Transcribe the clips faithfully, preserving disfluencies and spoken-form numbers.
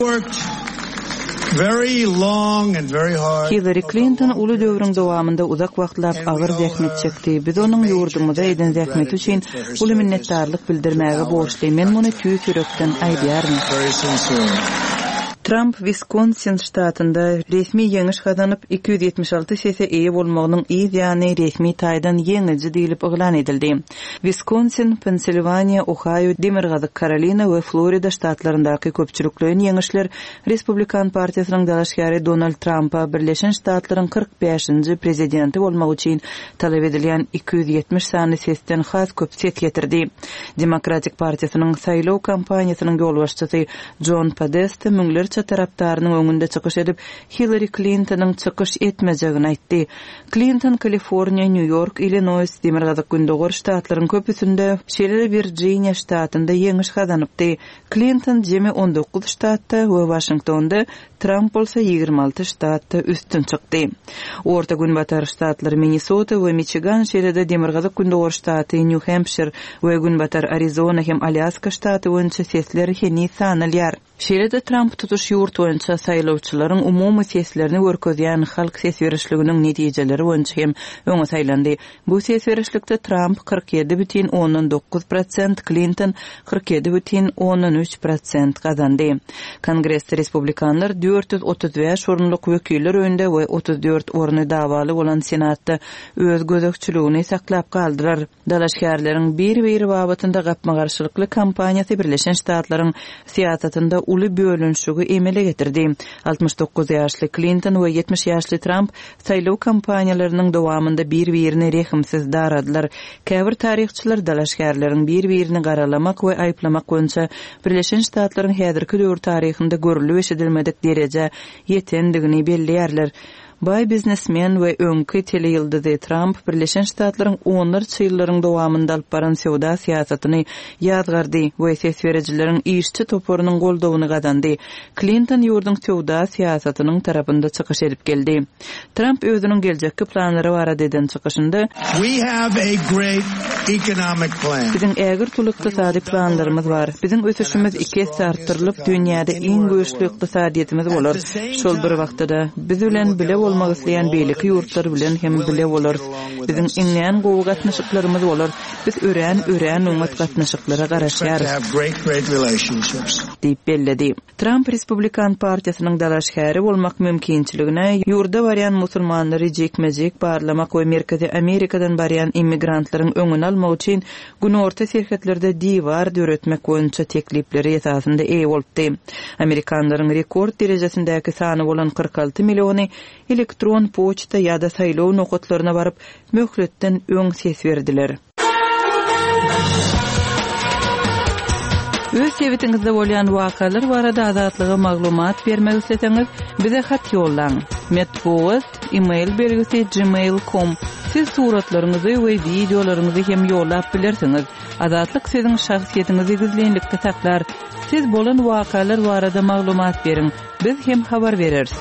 Worked very long and very hard. Hillari Klinton uly döwrüň dowamynda uzak wagtlap agyr zähmet çekdi. Biz onuň ýurdumyza eden zähmeti üçin uly minnetdarlyk bildirmäge borçly. Men muny tüýs ýürekden aýdýaryn. Very sincerely. Tramp Wiskonsin ştatynda resmi ýeňiş gazanyp, iki ýüz ýetmiş alty sese eýe bolmagynyň yz ýany resmi taýdan ýeňiji diýlip yglan edildi. Wiskonsin, Pensilwaniýa, Ohaýo, Demirgazyk Karolina we Florida ştatlaryndaky köpçülikleýin ýeňişler Respublikan partiýasynyň dalaşgäri Donald Trampa Birleşen Ştatlaryň kyrk bäşinji prezidenti bolmak üçin talap edilýän iki ýüz ýetmiş sany sesden has köp ses getirdi. Demokratik partiýasynyň saýlaw kampaniýasynyň ýolbaşçysy Jon Podesta müňlerçe tarapdarynyň öňünde çykyş edip, Hillari Klintonyň çykyş etmejegini aýtdy. Klinton Kaliforniýa, Nýu-Ýork, Illinoýs, Demirgazyk-Gündogar ştatlaryň köpüsinde, şeýle-de Wirjiniýa ştatynda ýeňiş gazanypdy. Klinton jemi on dokuz ştatda we Waşingtonda, Tramp bolsa ýigrimi alty ştatda üstün çykdy. Orta Günbatar ştatlary Minnesota we Miçigan, şeýle-de Demirgazyk-Gündogar ştaty Nýu-Hempşir we Günbatar Arizona hem Alýaska ştaty boýunça sesler heniz sanalýar. Şeýle-de Tramp tutuş ýurt boýunça saýlawçylaryň umumy seslerini görkezýän halk ses berişliginiň netijeleri boýunça hem öňe saýlandy. Bu ses berişlikde Tramp kyrk ýedi bütin ondan dokuz prosent, Klinton kyrk ýedi bütin ondan üç prosent gazandy. Kongresde respublikanlar dört ýüz otuz bäş orunlyk wekiller öýünde we otuz dört orny dawaly bolan Senatda öz gözegçiligini saklap galdylar. Dalaşgärleriň bir-biri babatynda gapma-garşylykly kampaniýasy Birleşen Ştatlaryň syýasatynda uly bölünişigi emele getirdi. Altmyş dokuz ýaşly Klinton we ýetmiş ýaşly Tramp saýlaw kampaniýalarynyň dowamynda bir-birini rehimsiz daradylar. Käbir taryhçylar dalaşgärleriň bir-birini garalamak we aýyplamak boýunça Birleşen Ştatlaryň häzirki döwür taryhynda görülip eşidilmedik derejä ýetendigini belleýärler. Baý biznesmen we öňki teleýyldyzy Tramp Birleşen Ştatlaryň onlarça ýyllaryň dowamynda alyp baran söwda syýasatyny ýazgardy we ses berijileriň işçi toparynyň goldawyny gazandy. Klinton ýurduň söwda syýasatynyň tarapynda çykyş edip geldi. Tramp özüniň geljekki planlary barada eden çykyşynda We have a great economic plan. Biziň ägirt uly ykdysady planlarymyz bar. Biziň ösüşimiz iki esse artdyrylyp, dünýäde iň güýçli ykdysadyýetimiz bolar. Şol bir wagtda-da biz bilen bile bolmak isleýän beýleki ýurtlar bilen hem bile bolarys. Biziň iňňän gowy gatnaşyklarymyz bolar. Biz örän, örän oňat gatnaşyklara garaşýarys. Have great, great relationships. Diýip belledi. Tramp Respublikan partiýasynyň dalaşgäri bolmak mümkinçiligine ýurda barýan musulmanlary jikme-jik barlamak we Merkezi Amerikadan barýan immigrantlaryň öňüni almak üçin günorta serhetlerde diwar döretmek boýunça teklipleri esasynda eýe bolupdy. Amerikanlaryň rekord derejesindäki sany bolan kyrk alty milliony elektron poçta ýa-da saýlaw nokatlaryna baryp möhletden öň ses berdiler. Öz sebitiňizde bolýan wakalar barada Azatlyga maglumat bermek isleseňiz, bize hat ýollaň. Metbugat, e-mail belgisi gmail nokta com. Siz suratlaryňyzy we wideolaryňyzy hem ýollap bilersiňiz. Azatlyk siziň şahsyýetiňizi gizlinlikde saklar. Siz bolan wakalar barada maglumat beriň. Biz hem habar bereris.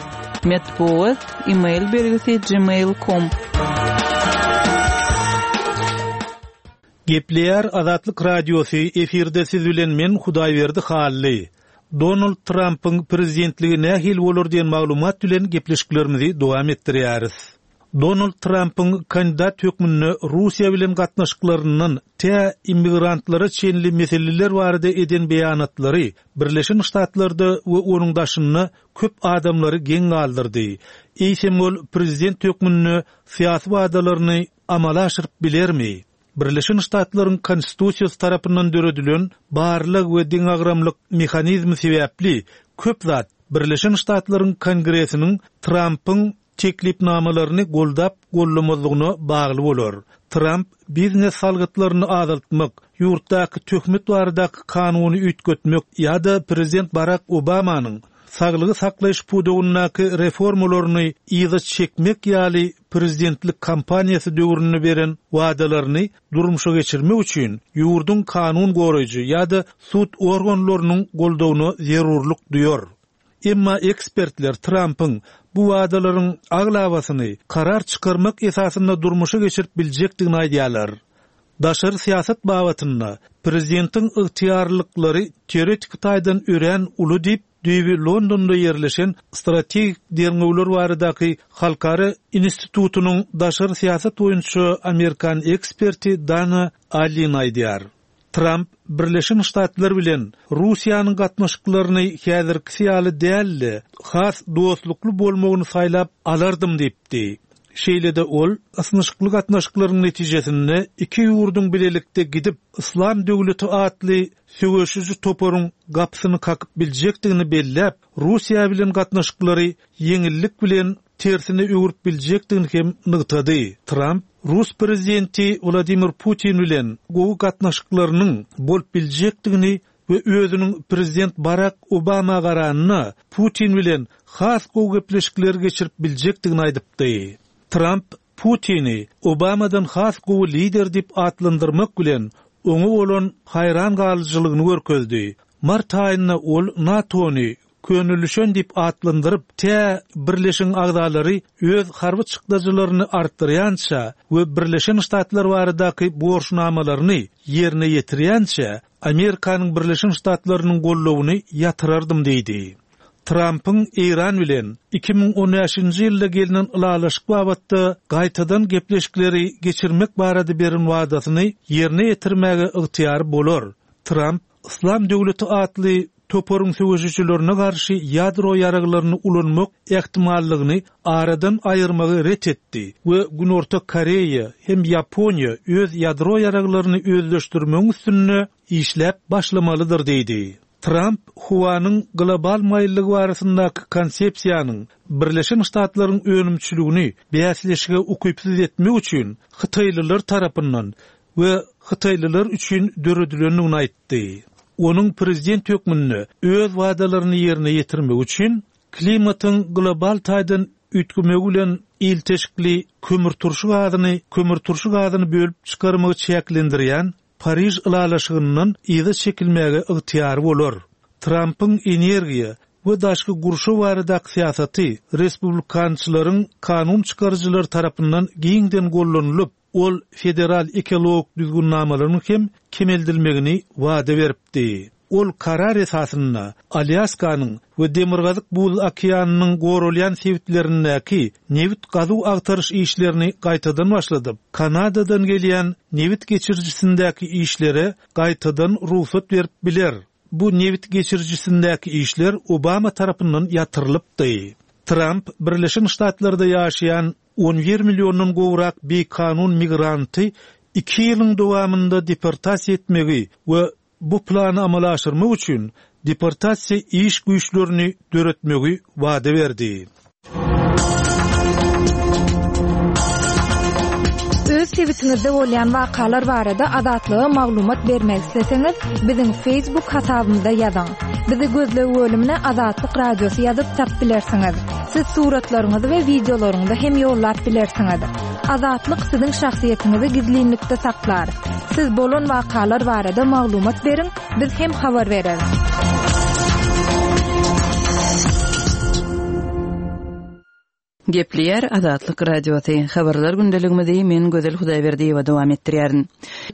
Metbugat, e-mail belgisi gmail nokta com. Gepleýär Azatlyk Radiosy, efirde siz bilen men Hudaýberdi Hally. Donald Trumpyň prezidentligi nähili bolar diýen maglumat bilen gepleşiklerimizi dowam etdirýäris. Donald Trumpyň kandidat hökmünde Russiýa bilen gatnaşyklaryndan tä immigrantlara çenli meseleler barada eden beýanatlary Birleşen Ştatlarda we onuň daşynda köp adamlary geň galdyrdy. Eýsem ol prezident hökmünde syýasy wadalaryny amala aşyryp bilermi? Birleşen Ştatlaryň Konstitusiýasy tarapyndan döredilen barlyk we deňagramlyk mehanizmi sebäpli köp zat Birleşen Ştatlaryň Kongresiniň Trumpyň teklipnamalaryny goldap gollamazlygyna bagly bolar. Trump biznes salgytlaryny azaltmak, ýurtdaky töhmet baradaky kanuny üýtgetmek ýa-da prezident Barack Obamanyň saglygy saklaýyş pudagyndaky reformalaryny yza çekmek ýaly prezidentlik kampaniýasy döwründe beren wadalaryny durmuşa geçirmek üçin ýurduň kanun goraýjy ýa-da sud organlarynyň goldawyna zerurlyk duýar. Emma ekspertler Trumpyň bu wadalaryň aglabasyny karar çykarmak esasynda durmuşa geçirip biljekdigini aýdýarlar. Daşary syýasat babatynda prezidentiň ygtyýarlyklary teoretik taýdan örän uly diýip düýbi Londonda ýerleşen Strategik derňewler baradaky halkara institutynyň daşary syýasat boýunça Amerikan eksperti Dana Allin aýdýar. Tramp Birleşen Ştatlar bilen Russiýanyň gatnaşyklaryny häzirkisi ýaly däl-de, has dostlukly bolmagyny saýlap alardym diýipdi. Şeýle-de ol ysnyşykly gatnaşyklaryň netijesinde iki ýurduň bilelikde gidip Yslam döwleti atly söweşiji toparyň gapysyny kakyp biljekdigini belläp, Russiýa bilen gatnaşyklary ýeňillik bilen tersine öwürip biljekdigini hem nygtady. Tramp Rus prezidenti Wladimir Putin bilen gowy gatnaşyklarynyň bolup biljekdigini we özüniň prezident Barak Obama garanyna Putin bilen has gowy gepleşikleri geçirip biljekdigini aýdypdy. Tramp Putini Obamadan has gowy lider diýip atlandyrmak bilen oňa bolan haýran galyjylygyny görkezdi. Mart aýynda ol NATO-ny könelişen diýip atlandyryp, tä Birleşen agzalary öz harby çykdajylaryny artdyrýança we Birleşen Ştatlar baradaky borçnamalaryny ýerine ýetirýänçä Amerikanyň Birleşen Ştatlarynyň goldawyny ýatyrardym diýdi. Trump'yň Eýran bilen iki müň on bäşinji ýylda gelinen ylalaşyk babatda gaýtadan gepleşikleri geçirmek barada beren wadasyny ýerine ýetirmäge ygtyýary bolar. Trump Yslam döwleti atly toparyň söweşijilerine garşy ýadro ýaraglaryny ulanmak ähtimallygyny aradan aýyrmagy ret etdi we Günorta Koreýa hem Ýaponiýa öz ýadro ýaraglaryny özleşdirmegiň üstünde işläp başlamalydyr diýdi. Trump howanyň global maýyllygy barasyndaky konsepsiýanyň Birleşen Ştatlaryň önümçiligini bäsleşige ukypsyz etmek üçin Hytaýlylar tarapyndan we Hytaýlylar üçin döredilendigini aýtdy. Onuň prezident hökmünde öz wadalaryny ýerine ýetirmek üçin klimatyň global taýdan üýtgemegi bilen ilteşikli kömürturşy gazyny, kömürturşy gazyny bölüp çykarmagy çäklendirýän Pariž ylalaşygyndan yza çekilmäge ygtyýary bolar. Trump'yň energiýa we daşky gurşaw baradaky syýasaty respublikançylaryň kanun çykaryjylary tarapyndan giňden gollanylyp, ol federal ekologik düzgünnamalaryň hem kemeldilmegini wada beripdi. Ol karar esasynda Alýaskanyň we Demirgazyk Buz okeanynyň goralýan sebitlerindäki nebit gazuw agtaryş işlerini gaýtadan başladyp, Kanadadan gelýän nebit geçirijisindäki işlere gaýtadan rugsat berip biler. Bu nebit geçirijisindäki işler Obama tarapyndan ýatyrylypdy. Trump Birleşen Ştatlarda ýaşaýan on bir milliondan gowrak bikanun migranty iki ýylyň dowamynda deportasiýa etmegi we bu plany amala aşyrmak üçin deportasiýa iş güýçlerini döretmegi wada berdi. Öz sebitiňizde bolýan wakalar barada Azatlyga maglumat bermek isleseňiz, biziň Facebook hasabymyzda ýazyň. Bizi gözleg bölümine Azatlyk Radiosy ýazyp tap bilersiňiz. Siz suratlaryňyzy we wideolaryňyzy hem ýollap bilersiňiz. Azatlyk siziň şahsyýetiňizi gizlinlikde saklar. Siz bolan wakalar barada maglumat beriň, biz hem habar bereris. Gepleýär Azatlyk Radiosy. Habarlar gündeligimizi men Gözel Hudaýberdiýewa dowam etdirýärin.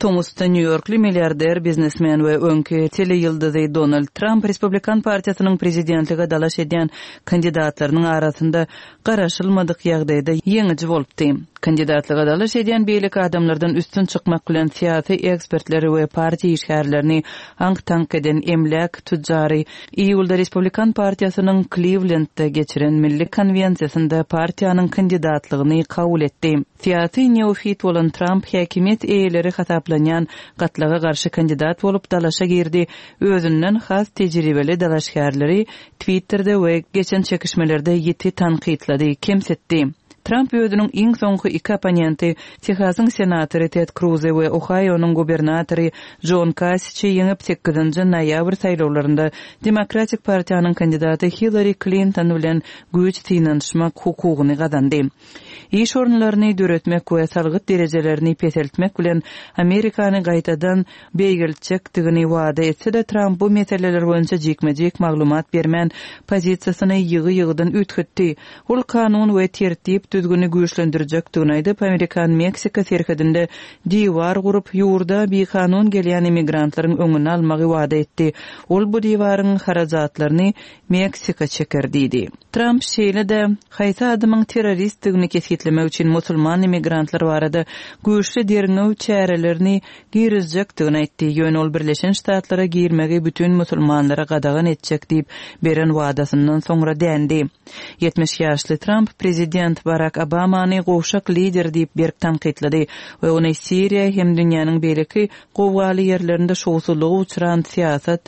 Tomusda Nýu-Ýorkly milliarder, biznesmen we öňki teleýyldyzy Donald Trump Respublikan partiýasynyň prezidentlige dalaş edýän kandidatlarynyň arasynda garaşylmadyk ýagdaýda ýeňiji bolupdy. Kandidatlyga dalaş edýän beýleki adamlardan üstün çykmak bilen syýasy ekspertleri we partiýa işgärlerini aňk-taňk eden emläk tüjjary iýulda Respublikan partiýasynyň Clevelandda geçiren milli konwensiýasynda partiýanyň kandidatlygyny kabul etdi. Syýasy neofit bolan Trump häkimiýet eýeleri hasaplanýan gatlaga garşy kandidat bolup dalaşa girdi. Özünden has tejribeli dalaşgärleri Twitterde we geçen çekişmelerde ýiti tankytlady, kemsitdi. Trump özüniň iň soňky iki opponenti Tehasyň senatory Ted Cruz we Ohaýonyň gubernatory John Kasiçi ýeňip sekizinji noýabr saýlawlarynda Demokratik partiýanyň kandidaty Hillary Clinton bilen güýç synanyşmak hukugyny gazandy. Iş orunlaryny döretmek we salgyt derejelerini peseltmek bilen Amerikany gaýtadan beýgeltjekdigini wada etse-de Trump bu meseleler boýunça jikme-jik maglumat bermän pozisiýasyny ýygy-ýygydan üýtgetdi. Ol kanun we tertip düzgüni güýçlendirjekdigini aýdyp, Amerikan-Meksika serhedinde diwar gurup, ýurda bikanun gelýän immigrantlaryň öňüni almagy wada etdi. Ol bu diwaryň harajatlaryny Meksika çeker diýdi. Tramp şeýle-de haýsy adamyň terroristdigini kesgitlemek üçin musulman immigrantlar barada güýçli derňew çärelerini girizjekdigini aýtdy. Ýöne ol Birleşen Ştatlara girmegi bütün musulmanlara gadagan etjek diýip beren wadasyndan soňra dändi. ýetmiş ýaşly Tramp prezident Barak Obamany gowşak lider diýip berk tankytlady we ony Siriýa hem dünýäniň beýleki gowgaly ýerlerinde şowsuzlyga uçran syýasat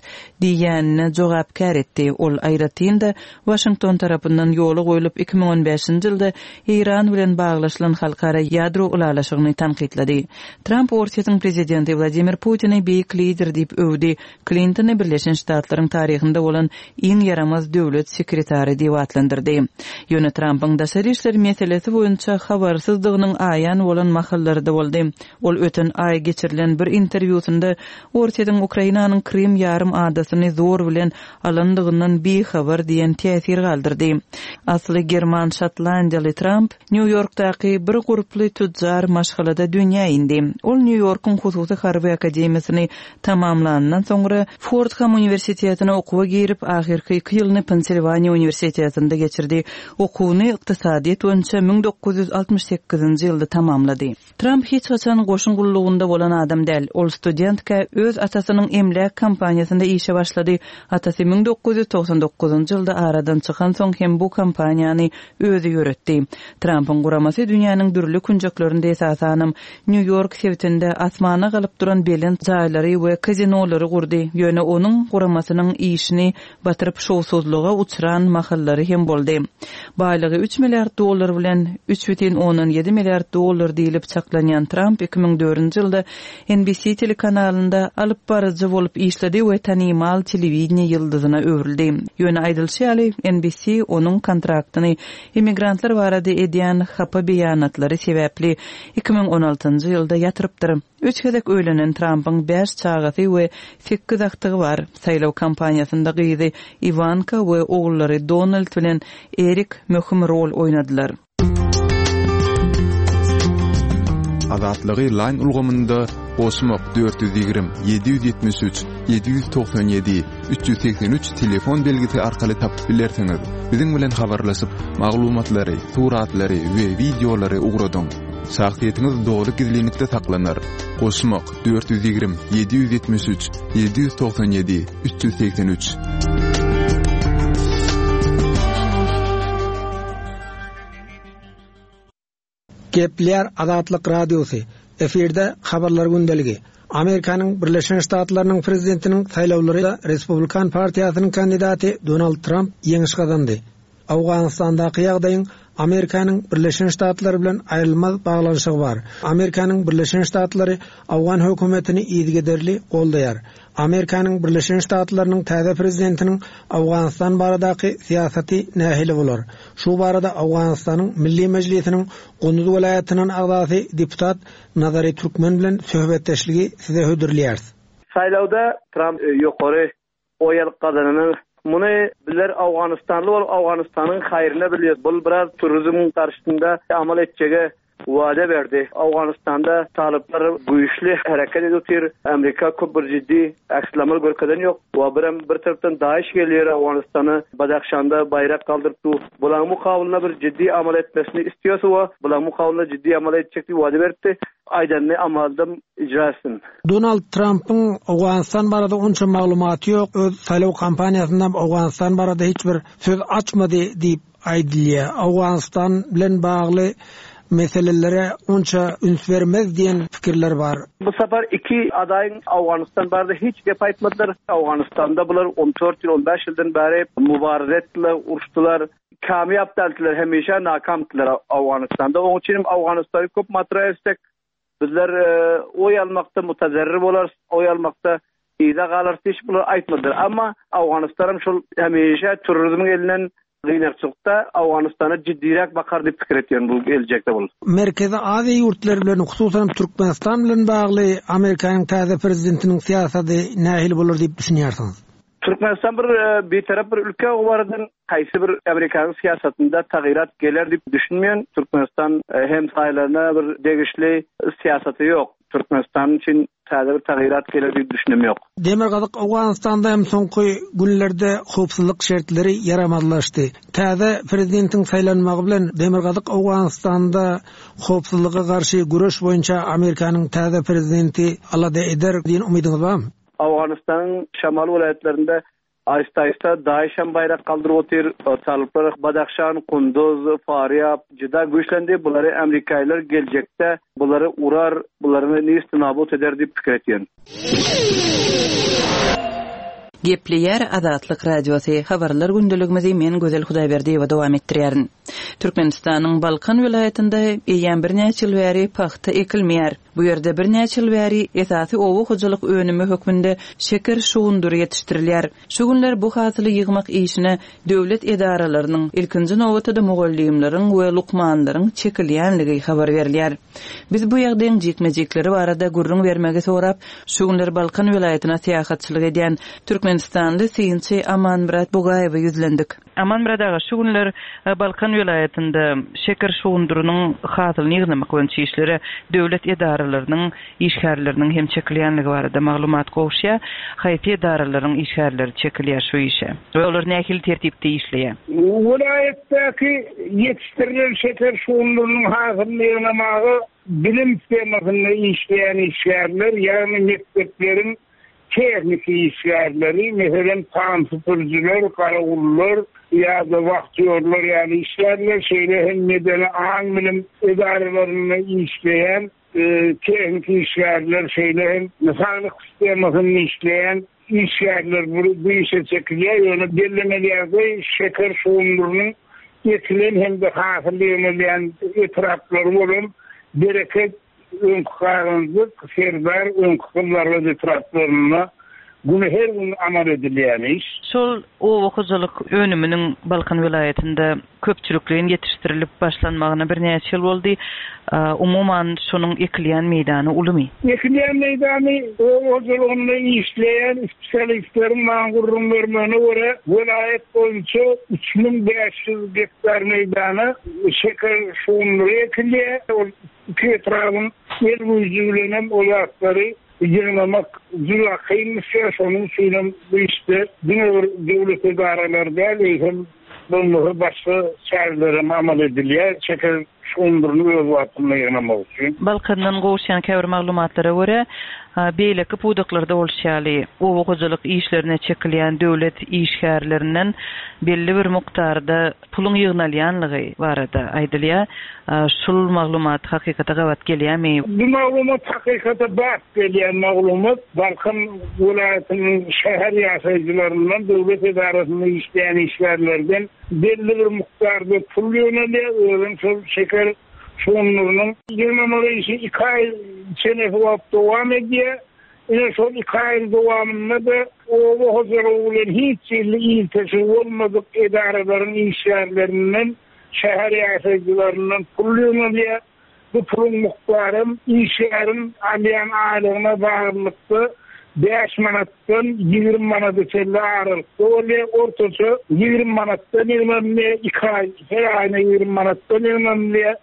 diýýänine jogapkär etdi. Ol aýratyn-da Waşington tarapyndan ýola goýlup iki müň on bäşinji ýylda Eýran bilen baglaşylan halkara ýadro ylalaşygyny tankytlady. Tramp Orsýetiň prezidenti Wladimir Putini beýik lider diýip öwdi. Klintony Birleşen Ştatlaryň taryhynda bolan iň ýaramaz döwlet sekretary diýip atlandyrdy. Ýöne Trampyň daşary işler meselesi boýunça habarsyzdygynyň aýan bolan mahallary-da boldy. Ol öten aý geçirilen bir interwýusynda Orsýetiň Ukrainanyň Krym ýarym adasyny zor bilen alandygyndan bihabar diýen täsir galdyrdy. Asly german şotlandiýaly Tramp Nýu-Ýorkdaky bir gurply tüjjar maşgalada dünýä indi. Ol Nýu-Ýorkuň hususy harby akademiýasyny tamamlandan soňra Fordham Uniwersitetine okuwa girip, ahyrky iki ýylyny Pensilwaniýa Uniwersitetinde geçirdi. Okuwyny ykdysadyýet boýunça müň dokuz ýüz altmyş sekizinji ýylda tamamlady. Tramp hiç haçan goşun gullugynda bolan adam däl. Ol studentkä öz atasynyň emläk kompaniýasynda işe başlady. Atasy müň dokuz ýüz togsan dokuzynjy ýylda aradan çykan soň hem bu kompaniýany özi ýöretdi. Trampyň guramasy dünýäniň dürli künjeklerinde esasanam Nýu-Ýork sebitinde asmana galyp duran belent jaýlary we kazinolary gurdy. Ýöne onuň guramasynyň işini batyryp şowsuzlyga uçran mahallary hem boldy. Baýlygy üç milliard dollar bilen üç bütin ondan ýedi milliard dollar diýilip çaklanýan Tramp iki müň dördünji ýylda N B C telekanalynda alyp baryjy bolup işledi we tanymal telewideniýe ýyldyzyna öwrüldi. Ýöne aýdylşy ýaly N B C onuň kontraktyny immigrantlar barada edýän hapa beýanatlary sebäpli iki müň on altynjy ýylda ýatyrypdyr. Üç gezek öýlenen Trampyň bäş çagasy we sekiz agtygy bar. Saýlaw kampaniýasynda gyzy Iwanka we ogullary Donald bilen Erik möhüm rol oýnadylar. Azatlygy line ulgamynda goşmak dört ýüz ýigrimi, ýedi ýüz ýetmiş üç, ýedi ýüz togsan ýedi, üç ýüz segsen üç telefon belgisi arkaly tapyp bilersiňiz. Biziň bilen habarlaşyp, maglumatlary, suratlary we wideolary ugradyň. Şahsyýetiňiz dogry gizlinlikde saklanar. Goşmak dört ýüz ýigrimi, ýedi ýüz ýetmiş üç, ýedi ýüz togsan ýedi, üç ýüz segsen üç. Gepler Azatlyk Radiosy, efirde habarlar gündeligi. Amerikanyň Birleşen Ştatlarynyň prezidentiniň saýlawlary Respublikan partiýasynyň kandidaty Donald Trump ýeňiş gazandy. Awganistandaky ýagdaýyň Amerikanyň Birleşen Ştatlary bilen aýrylmaz baglanyşygy bar. Amerikanyň Birleşen Ştatlary Awgan hökümetini yzygiderli goldaýar. Amerikanyň Birleşen Ştatlarynyň täze prezidentiniň Awganistan baradaky syýasaty nähili bolar? Şu barada Awganistanyň Milli Mejlisiniň Gunduz welaýatynyň agzasy deputat Nazary Türkmen bilen söhbetdeşligi size hödürleýäris. Saýlawda Trump, e, ýokary oý alyp gazanany Muny bizler Awganistanly bolup Awganistanyň haýryna bilýär. Bul biraz turizmiň garşysynda amal etjege wada berdi. Awganistanda talyplar güýçli hereket edip Amerika köp bir ciddi aksilamal görkezen ýok. Wa birem bir tarapdan DAEŞ gelýär Awganistana, Badakhşanda baýrak galdyryp dur. Bulaň mukawylyna bir ciddi amal etmesini istiyorsa wa, bulaň mukawylyna ciddi amal etjek diýip wada beripdi. Aýdanny amalda icra etsin. Donald Trump'yň Awganistan barada onça maglumaty ýok. Öz saýlaw kampaniýasynda Awganistan barada hiç bir söz açmady diýip aýdylýar. Awganistan bilen bagly meselelere onça üns bermez diýen pikirler bar. Bu sapar iki adaýyň Awganistan barada hiç gep aýtmadylar. Awganistanda bular on dört ýyl, on bäş ýyldan bäri mübaraze etdiler, uruşdylar. Kamyýap däldiler, hemişe nakamdylar Awganistanda. Onuň üçin Awganistany köp matrah etsek, bizler, e, oý almakda mutazerrir bolar, oý almakda yza galar diýip bular aýtmadylar. Amma Awganistanam şol hemişe turizmiň elinden gynakçylykda Awganistana ciddiräk bakar diýip pikir etýän bu geljekde bol. Merkezi Aziýa ýurtlary bilen, hususan Türkmenistan bilen bagly Amerikanyň täze prezidentiniň syýasaty nähili bolar diýip düşünýärsiňiz? Türkmenistan bir e, bitarap bir ülke o barada haýsy bir Amerikanyň syýasatynda tagýyrat geler diýip düşünmeýän. Türkmenistan e, hem saýlaryna bir degişli syýasaty ýok. Türkmenistan üçin täze bir tagýyrat geler diýip düşünem ýok. Demirgazyk Owganystanda hem soňky günlerde howpsuzlyk şertleri ýaramazlaşdy. Täze prezidentiň saýlanmagy bilen Demirgazyk Owganystanda howpsuzlyga garşy güreş boýunça Amerikanyň täze prezidenti alada eder diýen umydyňyz barmy? Owganystanyň şamal welaýatlarynda aýsta-aýsta DAEŞ hem baýrak galdyryp otyr. Talyplar Badahşan, Kunduz, Farýab juda güýçlendi. Bulary Amerikaýlar geljekde bulary urar, bulary nist nabut eder diýip pikir etýän. Gepleýär Azatlyk Radiosy. Habarlar gündeligimizi men Gözel Hudaýberdiýewa dowam etdirýärin. Türkmenistanyň Balkan welaýatynda eýýäm birnäçe ýyl bäri pagta ekilmeýär. Bu ýerde birnäçe ýyl bäri esasy oba hojalyk önümi hökmünde şeker şugundyry ýetişdirilýär. Şu günler bu hasyly ýygmak işine döwlet edaralarynyň, ilkinji nobatda mugallymlaryň we lukmanlaryň çekilýänligi habar berilýär. Biz bu ýagdaýyň jikme-jikleri barada gürrüň bermegi sorap, şu günler Balkan welaýatyna syýahatçylyk edýän Türkmenistanly synçy Amanmyrat Bugaýewe ýüzlendik. Amanmyrat aga, şu günler e, Balkan welaýatynda şeker şugundyrynyň hasylyny ýygnamak boýunça işlere döwlet edaralarynyň işgärleriniň hem çekilýänligi barada maglumat gowşýar. Haýsy edaralaryň işgärleri çekilýär şu işe? We olar nähili tertipde işleýär? Welaýatdaky ýetişdirilen şeker şugundyrynyň hasylyny ýygnamaga bilim sistemasynda işleýän işgärler, ýagny mekdepleriň tehniki işgärleri, meselem tam süpürjiler, garawullar ýa-da wagtýorlar ýaly işgärler, şeýle hem medeni aň bilim edaralarynda işleýän e, tehniki işgärler, şeýle hem saglyk sistemasynda işleýän işgärler bu, bu işe çekilýär. Ýöne bellemeli ýagdaý şeker şugundyrynyň ekilen hem de hasyl ýygnalýan etraplary bolan Bereket, öňki Garyndyk, Serdar, öňki Gyzlarbat etraplarynda güni her gün amal edilýän iş. Şol oba hojalyk önüminiň Balkan welaýatynda köpçülikleýin ýetişdirilip başlanmagyna birnäçe ýyl boldy. Umuman şonuň ekilýän meýdany ulumy? Ekilýän meýdany oba hojalygynda işleýän spesialistleriň maňa gürrüň bermegine görä welaýat boýunça üç müň bäş ýüz gektar meýdana şeker şugundyry ekilýär. Ol iki etrabın el güýji bilen hem o zatlary ýygnamak juda kynmyş. Şonuň üçin hem bu işte diňe bir döwlet edaralary däl, eýsem bolmasa başga çäreler hem amal edilýär. Şeker şugundyryny öz wagtynda ýygnamak üçin. Balkandan gowuşýan käbir maglumatlara görä, beýleki pudaklarda bolşy ýaly oba hojalyk işlerine çekilýän döwlet işgärlerinden belli bir mukdarda puluň ýygnalýanlygy barada aýdylýar. Şul maglumat hakykata gabat gelýärmi? Bu maglumat hakykata bat gelýän maglumat. Balkan welaýatynyň şäher ýaşaýjylaryndan, döwlet edarasynda işleýän işgärlerden belli bir mukdarda pul ýygnalýar. Özem şol şeker şugundyrynyň ýygnamagy işi iki aý çenesi wagt dowam edýär. Ine şol iki aýyň dowamynda da oba hojalygy bilen hiç ýyly ilteşigi bolmadyk edaralaryň işgärlerinden, şäher ýaşaýjylaryndan pul ýygnalýar. Bu puluň mukdarym işgäriň alýan aýlygyna baglylykda bäş manatdan ýigrimi manata çenli aralykda bolýar. Ortaça ýigrimi manatdan ýygnalýar, iki aý, her aýyna ýigrimi manatdan ýygnalýar.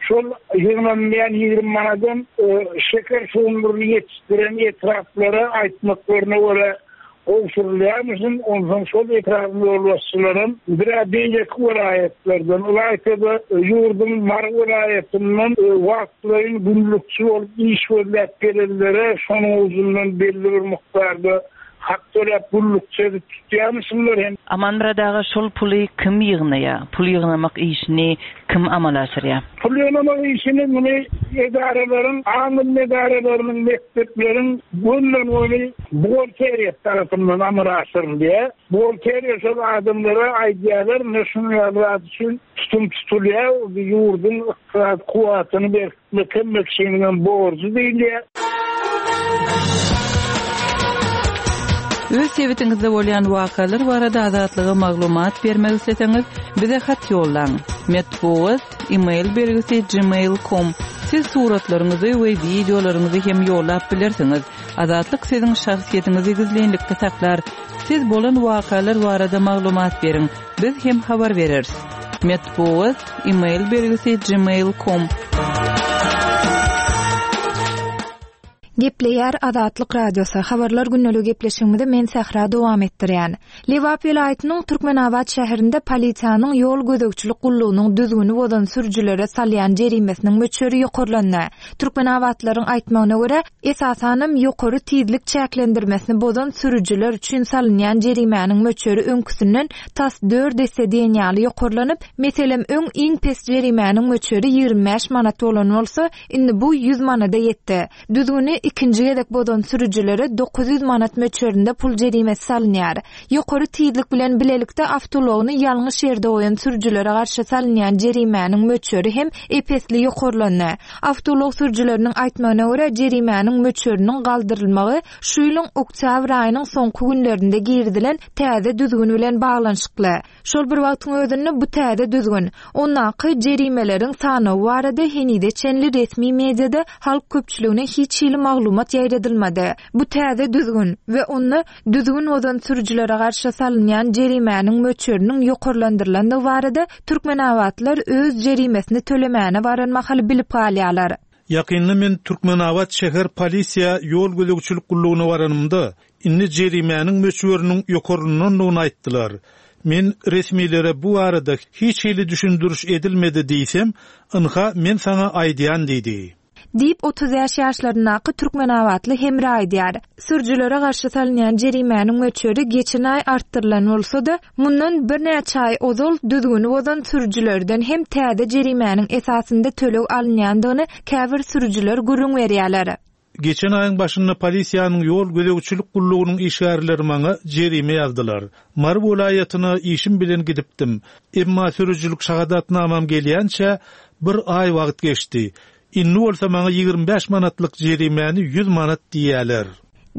Şol ýygnalýan ýigrimi manadan, e, şeker şugundyryny ýetişdiren etraplara aýtmaklaryna görä gowşurylýarmyşyn. Onsoň şol etrapyň ýolbaşçylaram bir beýleki welaýatlardan, ylaýta-da ýurduň Mary welaýatyndan, e, wagtlaýyn günlükçi bolup iş gözläp gelenlere şonuň uzundan belli bir mukdarda hak töläp günlükçi edip tutýarmyşynlar hem. Amanmyrat aga, şol puly kim ýygnaýar? Pul ýygnamak işini kim amala aşyrýar? Pul ýygnamak işini muny edaralaryň, aň edaralarynyň, mekdepleriň gönden-göni buhgalteriýa tarapyndan amala aşyrylýar. Buhgalteriýa şol adamlara aýdýarlar, ne şuny ýaly üçin tutum tutulýar, ýurduň ykdysady kuwwatyny berkitmek hem kişiniň borjy diýilýär. Öz sebitiňizde bolýan wakalar barada Azatlyga maglumat bermek isleseňiz, bize hat ýollaň. Metbugat, e-mail belgisi gmail nokta com, Siz suratlaryňyzy we wideolaryňyzy hem ýollap bilersiňiz. Azatlyk siziň şahsyýetiňizi gizlinlikde saklar. Siz bolan wakalar barada maglumat beriň. Biz hem habar bereris. Metbugat e-mail belgisi gmail.com Gepleýär Azatlyk Radiosy. Habarlar günlügi gepleşigimizi men Sähra dowam etdirýän. Lebap welaýatynyň Türkmenabat şäherinde polisiýanyň ýol gözegçilik gullugynyň düzgüni bozan sürüjilere salýan jerimesiniň möçberi ýokarlandy. Türkmenabatlaryň aýtmagyna görä, esasanam ýokary tizlik çäklendirmesini bozan sürüjiler üçin salynýan jerimäniň möçberi öňküsinden tas dört esse diýen ýaly ýokarlanyp, meselem öň iň pes jerimäniň möçberi ýigrimi bäş manat bolan bolsa, indi bu ýüz manada ýetdi. Düzgüni ikinji gezek bozan sürüjilere dokuz ýüz manat möçberinde pul jerimesi salynýar. Ýokary tizlik bilen bilelikde awtoulagyny ýalňyş ýerde goýan sürüjilere garşy salynýan jerimäniň möçberi hem epesli ýokarlandy. Awtoulag sürüjileriniň aýtmagyna görä, jerimäniň möçberiniň galdyrylmagy şu ýylyň oktýabr aýynyň soňky günlerinde girizilen täze düzgün bilen baglanyşykly. Şol bir wagtyň özünde bu täze düzgün, ondaky jerimeleriň sanawy barada henize çenli resmi mediada halk köpçüligine hiç hili maglumat ýaýradylmady. Bu täze düzgün we onda düzgün bozan sürüjilere garşy salynýan jerimäniň möçberiniň ýokarlandyrylandygy barada Türkmenabatlar öz jerimesini tölemäne baran mahaly bilip galýarlar. Ýakynda men Türkmenabat şäher polisiýa ýol gözegçilik gullugyna baranymda indi jerimäniň möçberiniň ýokarlanandygyny aýtdylar. Men resmilere bu arada hiç hili düşündiriş edilmedi diýsem, ynha men sana aýdýan diýdi. Diýip otuz bäş ýaşlaryndaky Türkmenabatly Hemra aýdýar. Sürüjilere garşy salynýan jerimäniň möçberi geçen aý artdyrylan bolsa-da, mundan birnäçe aý ozal düzgüni bozan sürüjilerden hem täze jerimäniň esasynda töleg alynýandygyny käbir sürüjiler gürrüň berýärler. Geçen aýyň başynda polisiýanyň ýol gözegçilik gullugynyň işgärleri maňa jerime ýazdylar. Mary welaýatyna işim bilen gidipdim. Emma sürüjilik şahadatnamam gelýänçä bir aý wagt geçdi. Indi bolsa maňa ýigrimi bäş manatlyk jerimäni ýüz manat diýýärler.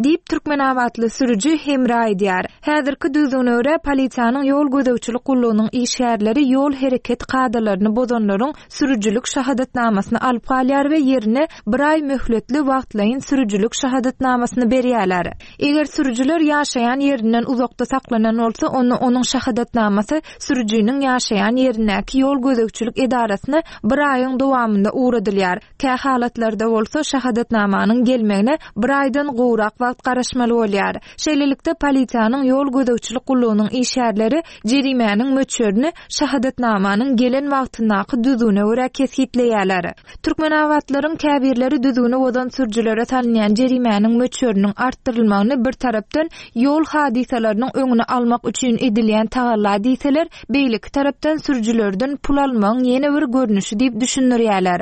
Diýip Türkmenabatly sürüji Hemra aýdýar. Häzirki düzgüne görä polisiýanyň ýol gözegçilik gullugynyň işgärleri ýol hereket kadalaryny bozanlaryň sürüjilik şahadatnamasyny alyp galýar we ýerine bir aý möhletli wagtlaýyn sürüjilik şahadatnamasyny berýärler. Eger sürüjiler ýaşaýan ýerinden uzakda saklanan bolsa, onda onuň şahadatnamasy sürüjiniň ýaşaýan ýerindäki ýol gözegçilik edarasyna bir aýyň dowamynda ugradylýar. Kä halatlarda bolsa şahadatnamanyň gelmegine bir aýdan gowrak wagt garaşmaly bolýar. Şeýlelikde polisiýanyň ýol gözegçilik gullugynyň işgärleri jerimäniň möçberini şahadatnamanyň gelen wagtyndaky düzgüne görä kesgitleýärler. Türkmenabatlaryň käbirleri düzgüni bozan sürüjilere salynýan jerimäniň möçberiniň artdyrylmagyny bir tarapdan ýol hadysalarynyň öňüni almak üçin edilýän tagalla diýseler, beýleki tarapdan sürüjilerden pul almagyň ýene bir görnüşi diýip düşündirýärler.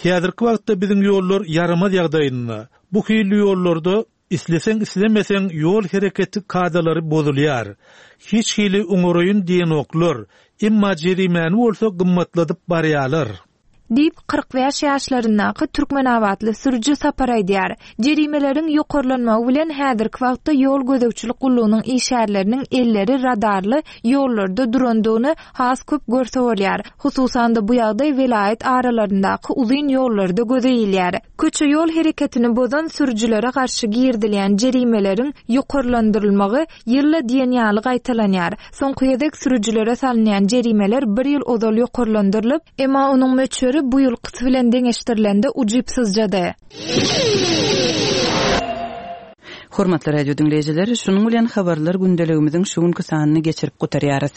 Häzirki wagtda biziň ýollar ýaramaz ýagdaýynda. Bu hili ýollarda isleseň islemeseň ýol hereketi kadalary bozulýar. Hiç hili oňaraýyn diýenoklar, emma jerimäni bolsa gymmatladyp barýarlar. Diýip kyrk bäş ýaşlaryndaky Türkmenabatly sürüji Sapar aýdýar. Jerimeleriň ýokarlanmagy bilen häzirki wagtda ýol gözegçilik gullugynyň işgärleriniň elleri radarly ýollarda durandygyny has köp görse bolýar. Hususan-da bu ýagdaý welaýat aralaryndaky uzyn ýollarda göze ilýär. Köçe ýol hereketini bozan sürüjilere garşy girizilýän jerimeleriň ýokarlandyrylmagy ýylla diýen ýaly gaýtalanýar. Soňky gezek sürüjilere salynýan jerimeler bir ýyl ozal ýokarlandyrylyp, emma onuň möçberi bu ýylkysy bilen deňeşdirilende ujypsyzjady. Hormatly radio diňleýjiler, şunuň bilen habarlar gündeligimiziň şu günki sanyny geçirip gutarýarys.